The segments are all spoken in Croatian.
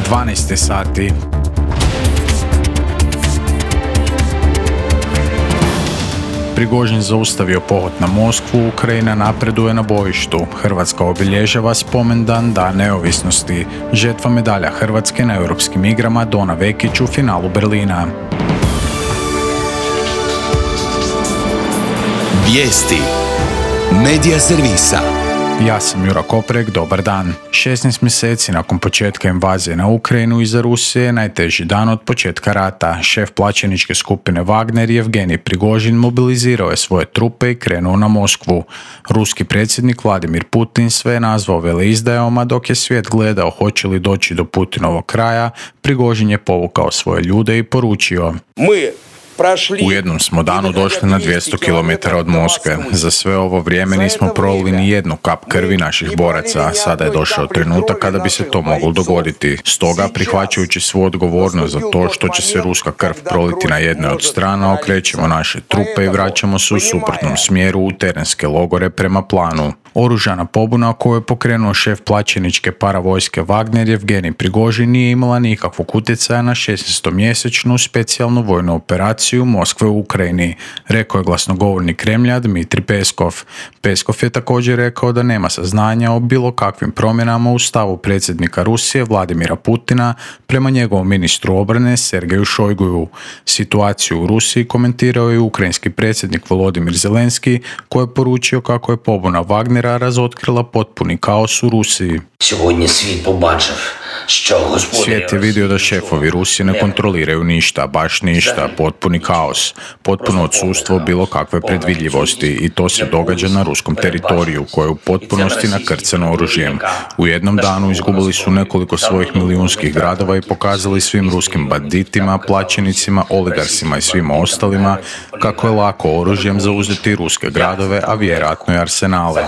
12 sati. Prigožin zaustavio pohod na Moskvu, Ukrajina napreduje na bojištu. Hrvatska obilježava spomendan Dan neovisnosti. Žetva medalja Hrvatske na Europskim igrama Dona Vekić u finalu Berlina. Vijesti Medija servisa. Ja sam Jura Koprek, dobar dan. 16 mjeseci nakon početka invazije na Ukrajinu iza Rusije je najteži dan od početka rata. Šef plaćeničke skupine Wagner Jevgenij Prigožin mobilizirao je svoje trupe i krenuo na Moskvu. Ruski predsjednik Vladimir Putin sve je nazvao veleizdajama, dok je svijet gledao hoće li doći do Putinovog kraja. Prigožin je povukao svoje ljude i poručio: U jednom smo danu došli na 200 km od Moskve. Za sve ovo vrijeme nismo prolili ni jednu kap krvi naših boraca. Sada je došao trenutak kada bi se to moglo dogoditi. Stoga, prihvaćajući svu odgovornost za to što će se ruska krv proliti na jednoj od strana, okrećemo naše trupe i vraćamo se u suprotnom smjeru u terenske logore prema planu. Oružana pobuna koju je pokrenuo šef plaćeničke paravojske Wagner Jevgenij Prigožin nije imala nikakvog utjecaja na 16-mjesečnu specijalnu vojnu operaciju Moskve u Ukrajini, rekao je glasnogovornik Kremlja Dmitrij Peskov. Peskov je također rekao da nema saznanja o bilo kakvim promjenama u stavu predsjednika Rusije Vladimira Putina prema njegovom ministru obrane Sergeju Šojguju. Situaciju u Rusiji komentirao je ukrajinski predsjednik Volodimir Zelenski, koji je poručio kako je pobuna Wagnera razotkrila potpuni kaos u Rusiji. Svijet je vidio da šefovi Rusije ne kontroliraju ništa, baš ništa, potpuni kaos, potpuno odsustvo bilo kakve predvidljivosti i to se događa na ruskom teritoriju koje je u potpunosti nakrcano oružjem. U jednom danu izgubili su nekoliko svojih milijunskih gradova i pokazali svim ruskim banditima, plaćenicima, oligarsima i svima ostalima kako je lako oružjem zauzeti ruske gradove, a vjerojatno i arsenale.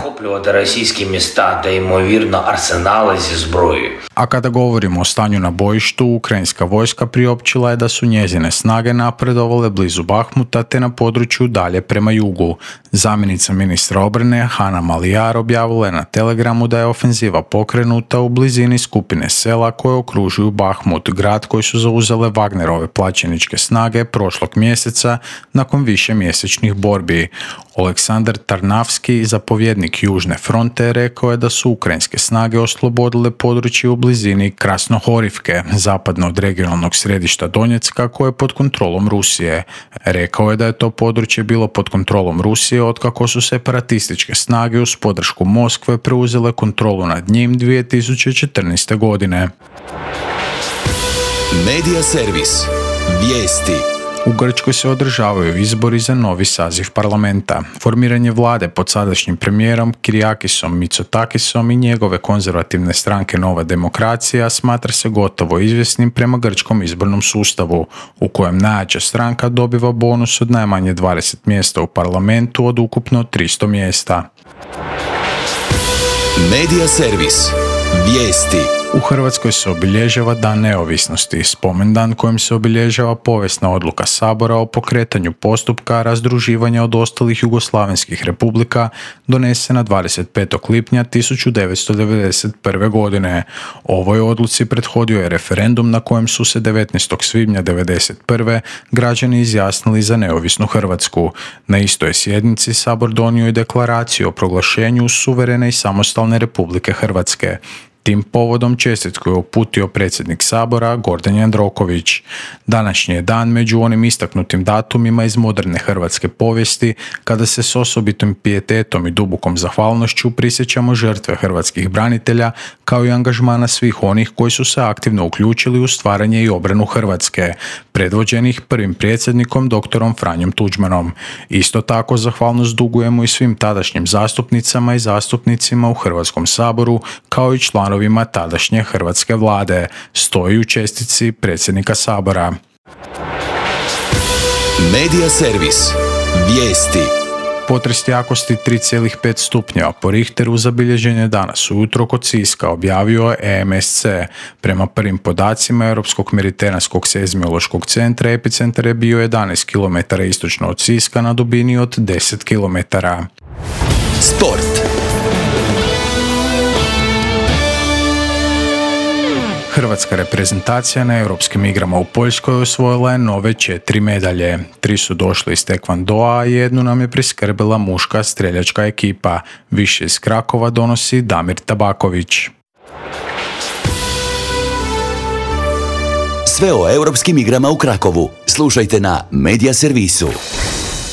A kada govorimo o stanju na bojištu, ukrajinska vojska priopćila je da su njezine snage napredovale blizu Bahmuta te na području dalje prema jugu. Zamjenica ministra obrane Hanna Maliar objavila je na Telegramu da je ofenziva pokrenuta u blizini skupine sela koje okružuju Bahmut, grad koji su zauzele Wagnerove plaćeničke snage prošlog mjeseca nakon višemjesečnih borbi. Oleksandar Tarnavski, zapovjednik Južne fronte, rekao je da su ukrajinske snage oslobodile područje u blizini Krasnohorivke, zapadno od regionalnog središta Donjecka, koje je pod kontrolom Rusije. Rekao je da je to područje bilo pod kontrolom Rusije otkako su separatističke snage uz podršku Moskve preuzele kontrolu nad njim 2014. godine. Medija servis. Vijesti. U Grčkoj se održavaju izbori za novi saziv parlamenta. Formiranje vlade pod sadašnjim premijerom Kyriakisom Mitsotakisom i njegove konzervativne stranke Nova demokracija smatra se gotovo izvjesnim prema grčkom izbornom sustavu, u kojem najjača stranka dobiva bonus od najmanje 20 mjesta u parlamentu od ukupno 300 mjesta. Medija servis. Vijesti. U Hrvatskoj se obilježava Dan neovisnosti, spomendan kojim se obilježava povijesna odluka Sabora o pokretanju postupka razdruživanja od ostalih jugoslavenskih republika donesena 25. lipnja 1991. godine. Ovoj odluci prethodio je referendum na kojem su se 19. svibnja 1991. građani izjasnili za neovisnu Hrvatsku. Na istoj sjednici Sabor donio je deklaraciju o proglašenju suverene i samostalne Republike Hrvatske. Tim povodom čestitku je uputio predsjednik Sabora Gordan Jandroković. Današnji je dan među onim istaknutim datumima iz moderne hrvatske povijesti kada se s osobitim pijetetom i dubokom zahvalnošću prisjećamo žrtve hrvatskih branitelja kao i angažmana svih onih koji su se aktivno uključili u stvaranje i obranu Hrvatske, predvođenih prvim predsjednikom doktorom Franjom Tuđmanom. Isto tako zahvalnost dugujemo i svim tadašnjim zastupnicama i zastupnicima u Hrvatskom saboru kao i članovima tadašnje hrvatske vlade, stoji u čestitci predsjednika Sabora. Medija servis. Vijesti. Potres jakosti 3,5 stupnjeva po Richteru zabilježen je danas ujutro kod Siska, objavio je EMSC. Prema prvim podacima Europskog mediteranskog seizmološkog centra, epicentar je bio 11 km istočno od Siska na dubini od 10 km. Sport. Hrvatska reprezentacija na europskim igrama u Poljskoj osvojila je nove 4 medalje. 3 su došle iz tekvandoa, a 1 nam je priskrbila muška streljačka ekipa. Više iz Krakova donosi Damir Tabaković. Sve o europskim igrama u Krakovu slušajte na Media Servisu.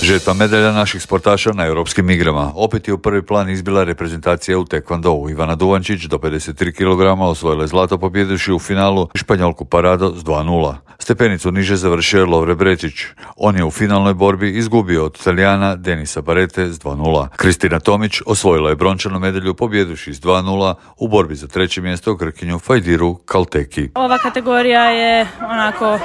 Žetva medalja naših sportaša na europskim igrama. Opet je u prvi plan izbila reprezentacija u tekvandovu. Ivana Duvančić do 53 kg osvojila je zlato pobjedivši u finalu Španjolku Parado s 2:0. Stepenicu niže završio je Lovre Brečić. On je u finalnoj borbi izgubio od Talijana Denisa Barete s 2:0. Kristina Tomić osvojila je brončanu medalju pobjedivši s 2:0 u borbi za treće mjesto Grkinju Fajdiru Kalteki. Ova kategorija je onako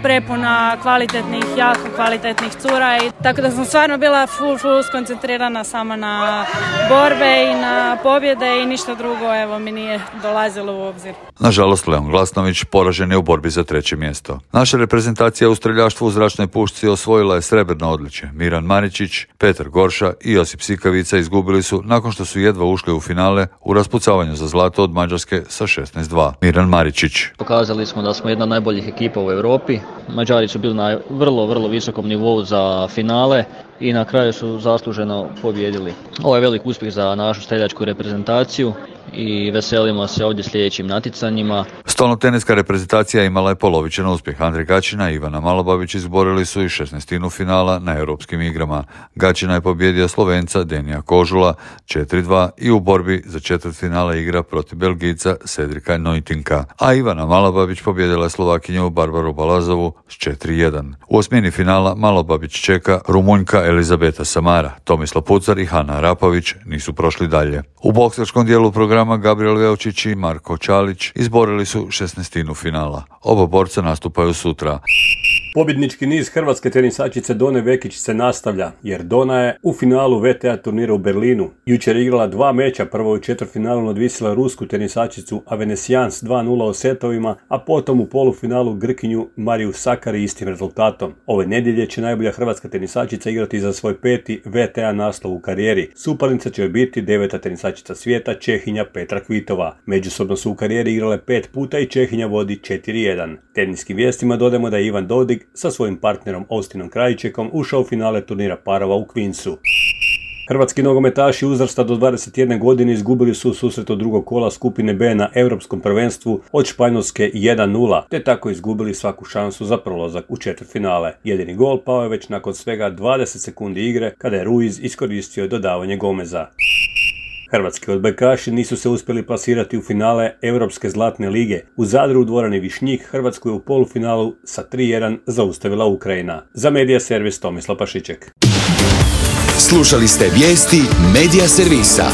prepuna kvalitetnih, jako kvalitetnih cura i tako da sam stvarno bila full skoncentrirana samo na borbe i na pobjede i ništa drugo mi nije dolazilo u obzir. Nažalost, Leon Glasnović poražen je u borbi za treće mjesto. Naša reprezentacija u streljaštvu u zračnoj pušci osvojila je srebrno odličje. Miran Maričić, Petar Gorša i Josip Sikavica izgubili su nakon što su jedva ušli u finale u raspucavanju za zlato od Mađarske sa 16:2. Miran Maričić. Pokazali smo da smo jedna od najboljih ekipa u Europi. Mađari su bili na vrlo visokom nivou za finale i na kraju su zasluženo pobijedili. Ovo je velik uspjeh za našu streljačku reprezentaciju i veselimo se ovdje sljedećim natjecanjima. Stolnoteniska reprezentacija imala je polovičan uspjeh. Andrej Gačina i Ivana Malobabić izborili su i 16. finala na europskim igrama. Gačina je pobjedio Slovenca Denija Kožula 4:2 i u borbi za četvrtfinale igra protiv Belgijca Cedrika Neutinka. A Ivana Malobabić pobjedila je Slovakinju Barbaru Balazovu s 4:1. U osmini finala Malobabić čeka Rumunjka Elizabeta Samara. Tomislav Pucar i Hana Rapović nisu prošli dalje. U boksačkom dijelu programa Gabriel Veučić i Marko Čalić izborili su 16. finala. Oba borca nastupaju sutra. Pobjednički niz hrvatske tenisačice Done Vekić se nastavlja, jer Dona je u finalu VTA turnira u Berlinu. Jučer je igrala 2 meča, prvo u četvrtfinalu nadvisila rusku tenisačicu Avenesijans 2:0 u setovima, a potom u polufinalu Grkinju Mariju Sakari istim rezultatom. Ove nedjelje će najbolja hrvatska tenisačica igrati za svoj 5. VTA naslov u karijeri. Suparnica će biti 9. tenisačica svijeta Čehinja Petra Kvitova. Međusobno su u karijeri igrale 5 puta i Čehinja vodi 4:1. Teniskim vijestima dodajemo da je Ivan Dodig sa svojim partnerom Austinom Krajičekom ušao u finale turnira parova u Queensu. Hrvatski nogometaši uzrasta do 21 godine izgubili su u susretu drugog kola skupine B na Europskom prvenstvu od Španjolske 1:0, te tako izgubili svaku šansu za prolazak u četvrtfinale. Jedini gol pao je već nakon svega 20 sekundi igre kada je Ruiz iskoristio dodavanje Gomeza. Hrvatski odbojkaši nisu se uspjeli plasirati u finale Europske zlatne lige. U Zadru u dvorani Višnjik Hrvatsku je u polufinalu sa 3:1 zaustavila Ukrajina. Za Media Servis Tomislav Pašiček. Slušali ste vijesti Media Servisa.